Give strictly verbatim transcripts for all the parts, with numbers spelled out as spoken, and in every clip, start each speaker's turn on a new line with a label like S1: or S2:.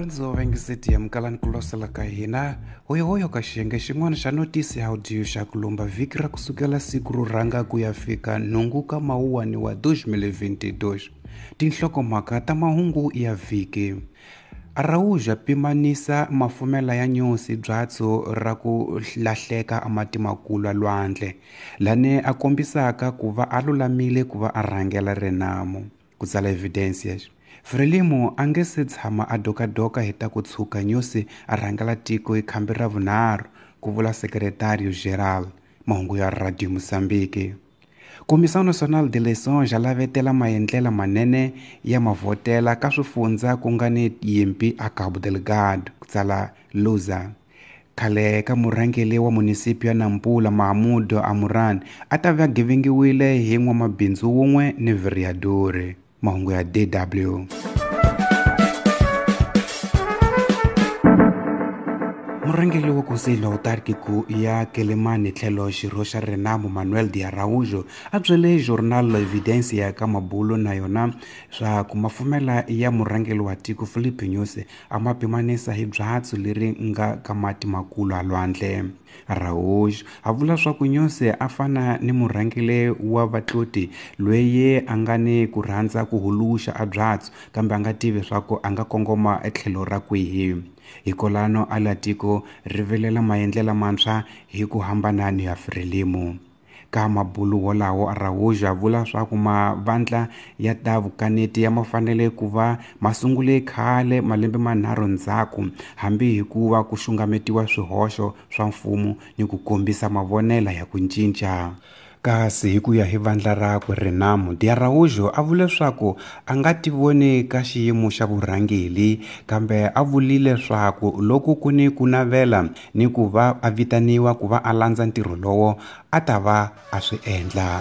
S1: Varindzo va ngiseti ya mukalani ku losela ka hina hoyohoyo ka xiyenge xin'wana xa notisi ya audio xa ku lomba vhiki ra kusukela siku ro rhanga ku ya fika nhungu ka mawuwani wa two thousand twenty-two. Tinhlokomhaka ta mahungu ya vhiki. Araújo pimanisa mafumela ya Nyusi byatso ra ku lahleka amati makulu a lwandle lane a kombisaka ku va a lulamile ku va a rhangela Renamo ku tsala Evidência. Frelimo a nge se tshama a dokadoka hi ta ku tshuka Nyusi a rhangela tiko hi khambi ra vunharhu, ku vula Secretario Geral. Mahungu ya Radio Mozambique. Comissão Nacional de Eleições lavetela maendlela manene ya mavhotela ka swifundza ku nga ni yimpi a Cabo Delgado, ku tsala Luza. Khale ka murhangeri wa munisipio ya Nampula Mahmoud Amuran a ta va gevengiwile hi n'wamabindzu wun'we ni vereador. Mahungu ya D W. Murhangeri wa Conselho Autárquico ya Quelimane tlhelo xirho xa Renamo Manuel de Araújo a byele Jornal Evidência ka mabulo na yona swa ku mafumela ya murhangeri wa tiko Filipe Nyusi a ma pimanisa hi byatso leri nga ka mati makulu a lwandle. Araújo a vula swa ku Nyusi a fana ni murhangeri wa vatloti loyi a nga ni ku rhandza ku huluxa a byatso kambe a nga tivi swa ku a nga kongoma etlhelo ra kwihi. Hikolano a la tiko rivelela maendlela mantshwa hi ku hambana ni ya Frelimo. Ka mabulu wolawo Araújo a vula swa ku mavandla ya ta vukaneti ya mafanele ku va masungule khale malembe manharhu ndzhaku hambi hi ku va ku xungametiwa swihoxo swa mfumo ni ku kombisa mavonela ya ku cinca. Kasi hi ku ya hi vandla rakwe Renamo, de Araújo a vule leswaku a nga tivoni ka xiyimo xa vurhangeri kambe a vulile leswaku loko ku ni ku navela ni ku va a vitaniwa ku va a landza ntirho lowo a ta va a swi endla.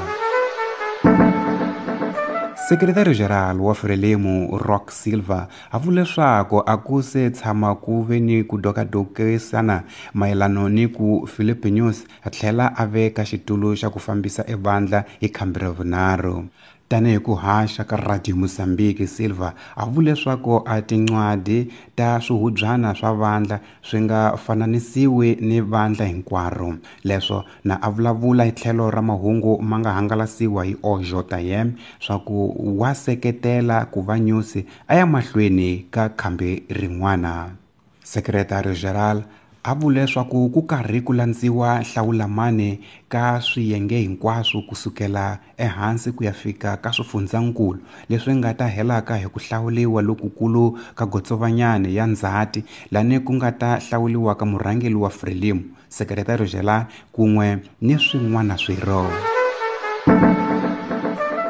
S1: Secretario Geral wa Frelimo Rock Silva a vule leswaku a ku se tshama ku ve ni ku dokadokisana mayelano ni ku Filipe Nyusi a tlhela a veka xitulu xa ku fambisa evandla hi khambi ra vunharhu. Tanihi ku haxa ka Radio Mozambique, Silva a vule leswaku a tincwadi ta swihubyana swa vandla swi nga fananisiwi ni vandla hinkwaro. Leswo na a vulavula hi tlhelo ra mahungu ma nga hangalasiwa hi O J M swa ku wa seketela ku va Nyusi a ya mahlweni ka khambi rin'wana. Secretario Geral a vule leswaku ku karhi ku landziwa hlawulamani ka swiyenge hinkwaswo kusukela ehansi ku ya fika ka swifundzankulu leswi nga ta helaka hi ku hlawuliwa lokukulu ka Gotsovanyane ya Ndzhati lani ku nga ta hlawuliwa ka murhangeri wa Frelimo, Secretario Geral kun'we ni swin'wana swirho.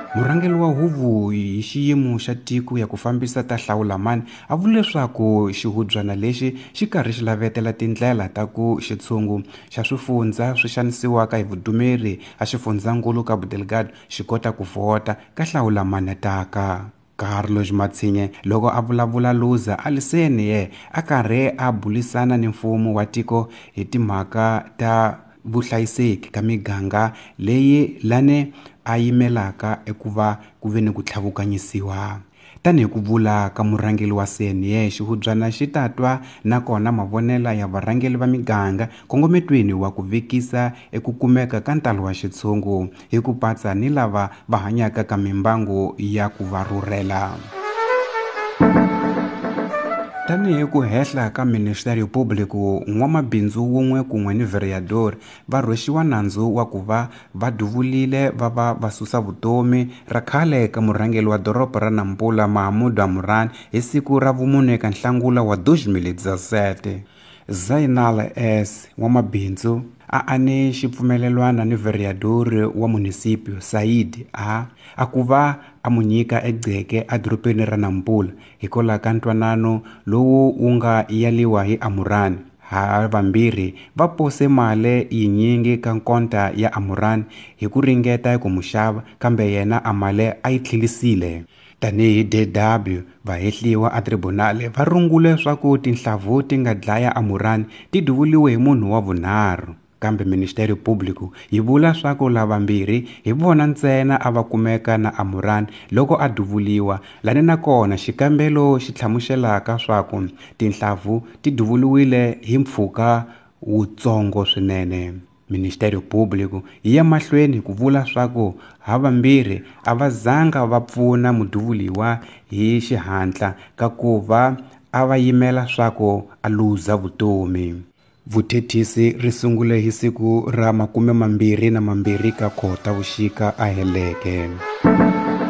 S1: Murhangeri wa huvo hi xiyimo xa tiko ya ku fambisa ta hlawulamani a vule leswaku xihubyana lexi xi karhi xi lavetela tindlela ta ku xitshungu xa swifundza swi xanisiwaka hi vudumeri a xifundzankulu Cabo Delgado xi kota ku vhota ka hlawulamani taka. Carlos Matsinhe loko a vulavula Luza a liseni ye a karhi a bulisana ni mfumo wa tiko hi timhaka ta vuhlayiseki ka miganga leyi lane a yimelaka ekuva ku ve ni ku tlhavukanyisiwa. Tanihi ku vula ka murhangeri wa C N E, xihubyana xi ta twa nakona mavonela ya varhangeri va miganga kongometweni wa ku vekisa eku kumeka ka ntalo wa xitshungu hi ku patsa ni lava va hanyaka ka mimbangu ya ku va rhurhela. Tanihi ku hehla ka Ministério Público, n'wamabindzu wun'we kun'we ni vereador va rhwexiwa nandzu wa ku va va duvulile va va va susa vutomi ra khale ka murhangeri wa doroba ra Nampula Mahmoud Amuran hi siku ra vumune ka Nhlangula wa two thousand seventeen. Zainal S n'wamabindzu a ane xipfumelelwana ni vereador wa munisipio Said A a ku va a mu nyika egceke edorobeni ra Nampula hikwalaho ka ntwanano lowu wu nga yaliwa hi Amuran. Ha vambirhi va pose mali yinyingi ka nkonta ya Amuran hi ku ringeta ku mu xava kambe yena a mali a yi tlhelisile. Tanihi D W vahehliwa a tribunal va rungule swa ku tinhlavu ti nga dlaya Amuran ti duvuliwe hi munhu wa vunharhu. Kambe Ministério Público yi vula swa ku lavambirhi hi vona ntsena a va kumeka na Amoran loko a duvuliwa, lani nakona xikambelo xi hlamuselaka swa ku tinhlavu ti duvuliwile hi mpfhuka wutsongo swinene. Ministério Público yi ya mahlweni ku vula swa ku havambirhi a va zanga va pfuna muduvuliwa hi xihatla ka ku va a va yimela swa ku a luza vutomi. Vuthethisi ri sungule hi siku ra makume mambirhi na mambirhi ka Khotavuxika a heleke.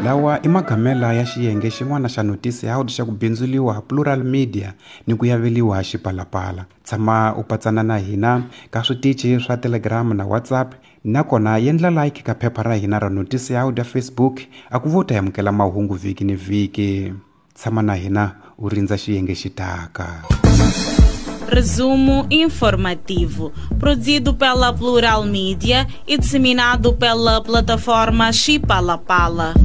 S1: Lawa i magamela ya xiyenge xin'wana xa Noticiado xa ku bindzuliwa Plural Media ni ku yaveliwa Xipalapala. Tshama u patsana na hina ka switichi swa Telegram na WhatsApp, nakona yendla like ka phepha ra hina ra Noticiado ya Facebook a ku vo ta amukela mahungu vhiki ni vhiki. Tshama na hina u rindza xiyenge xi taka.
S2: Resumo informativo, produzido pela Plural Mídia e disseminado pela plataforma Xipalapala.